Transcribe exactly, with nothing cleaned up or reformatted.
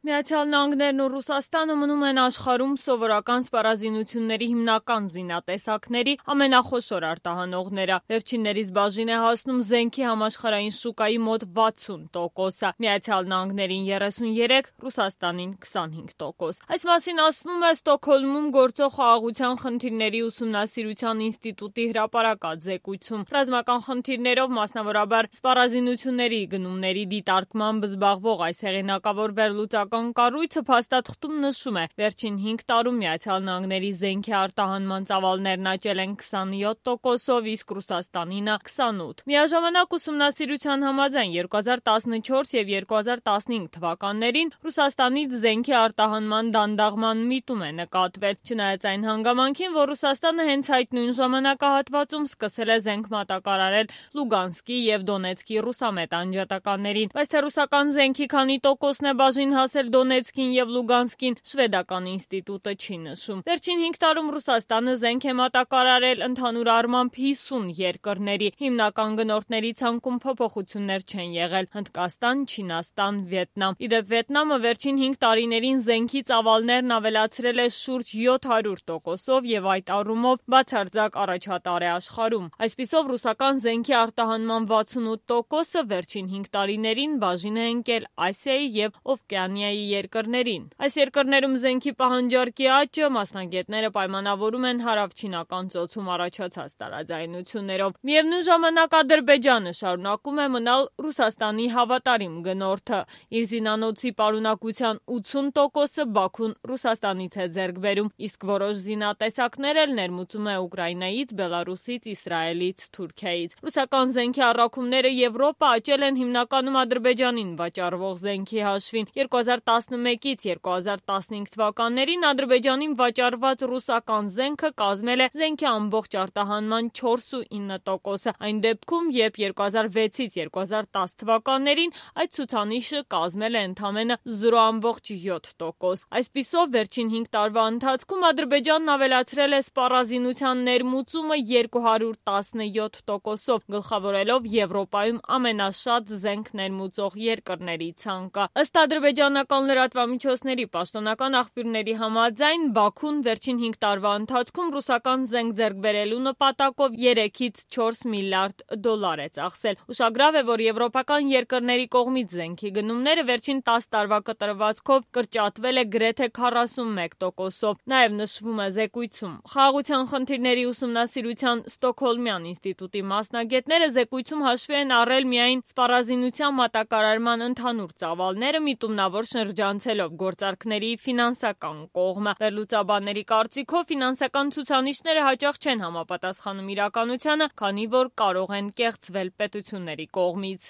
Միացյալ Նահանգներն ու Ռուսաստանը մնում են աշխարհում սովորական սպառազինությունների հիմնական զինատեսակների ամենախոշոր արտահանողները։ Վերջիններիս բաժին է հասնում զենքի համաշխարհային շուկայի մոտ վաթսուն տոկոսը, Միացյալ Նահանգներին երեսունյերեք, Ռուսաստանին քսանհինգ տոկոս։ Այս մասին ասվում է Ստոկհոլմում գործող խաղաղության խնդիրների ուսումնասիրության ինստիտուտի հրապարակած զեկույցում։ Ռազմական խնդիրներով, մասնավորաբար սպառազինությունների գնումների դիտարկմամբ զբաղվող այս հեղինակավոր վերլուծական կառույցը փաստաթղթում նշում է, վերջին հինգ տարում Միացյալ Նահանգների զենքի արտահանման ծավալներն աճել են քսանյոթ տոկոսով, իսկ Ռուսաստանինը քսանութ։ Միաժամանակ ուսումնասիրության համաձայն երկու հազար տասնչորս եւ երկու հազար տասնհինգ թվականներին Ռուսաստանից զենքի արտահանման դանդաղման միտում է նկատվել, չնայած այն հանգամանքին, որ Ռուսաստանը հենց այդ նույն ժամանակահատվածում սկսել է զենք մատակարարել Լուգանսկի եւ Դոնեցկի ռուսամետ անջատականներին, բայց թե ռուսական զենքի քանի տոկոսն է բաժին հասել Դոնեցկին եւ Լուգանսկին, շվեդական ինստիտուտը չի նշում։ Վերջին հինգ տարում Ռուսաստանը զենք է մատակարարել ընդհանուր առմամբ հիսուն երկրների, հիմնական գնորդների ցանկում փոփոխություններ չեն եղել՝ Հնդկաստան, Չինաստան, Վիետնամ։ Իդեպ Վիետնամը վերջին հինգ տարիներին զենքի ծավալներն ավելացրել է շուրջ յոթ հարյուր տոկոսով եւ այդ առումով բացարձակ առաջատար է աշխարհում։ Այսպիսով ռուսական զենքի արտահանման վաթսունութ տոկոսը վերջին հինգ տարիներին բաժին է ընկել Ասիայի եւ Օվկիանիայի երկրներին։ Այս երկրներում զենքի պահանջարկի աճը մասնագետները պայմանավորում են հարավչինական ծոցում առաջացած տարաձայնություններով։ Միևնույն ժամանակ Ադրբեջանը շարունակում է մնալ Ռուսաստանի հավատարիմ գնորդը։ Իր զինանոցի պարունակության ութսուն տոկոսը Բաքուն Ռուսաստանից է ձեռք բերում, իսկ որոշ զինատեսակներ էլ ներմուծում է Ուկրաինայից, Բելարուսից, Իսրայելից, Թուրքիայից։ Ռուսական զենքի առաքումները Եվրոպա աճել են հիմնականում Ադրբեջանին վաճառվող զենքի հաշվին։ երկու հազար տասնմեկից երկու հազար տասնհինգ թվականներին Ադրբեջանին վաճառված ռուսական զենքը կազմել է զենքի ամբողջ արտահանման չորսուինը տոկոսը, այն դեպքում, երբ երկու հազար վեցից երկու հազար տաս թվականներին այդ ցուցանիշը կազմել է ընդամենը զիրո բացարձակ յոթ տոկոս։ Այսպիսով, վերջին հինգ տարվա ընթացքում Ադրբեջանն ավելացրել է սպառազինության ներմուծումը երկու հարյուր տասնյոթ տոկոսով, գլխավորելով Եվրոպայում ամենաշատ զենք ներմուծող երկրների ցանկը։ Ըստ ադրբեջանական լրատվամիջոցների պաշտոնական աղբյուրների համաձայն, Բաքուն վերջին հինգ տարվա ընթացքում ռուսական զենք ձեռք բերելու նպատակով երեքից չորս միլիարդ դոլար է ծախսել։ Ուշագրավ է, որ եվրոպական երկրների կողմից զենքի գնումները վերջին տասը տարվա կտրվածքով կրճատվել է գրեթե քառասունմեկ տոկոսով։ Նաև նշվում է զեկույցում։ Խաղաղության խնդիրների ուսումնասիրության Ստոկհոլմյան ինստիտուտի մասնագետները զեկույցում հաշվի են առել միայն սպառազինության մատակարարման ընդհանուր ծավալները, միտումնավոր շրջանցելով գործարքների ֆինանսական կողմը։ Վերլուծաբանների կարծիքով ֆինանսական ցուցանիշները հաճախ չեն համապատասխանում իրականությանը, քանի որ կարող են կեղծվել պետությունների կողմից։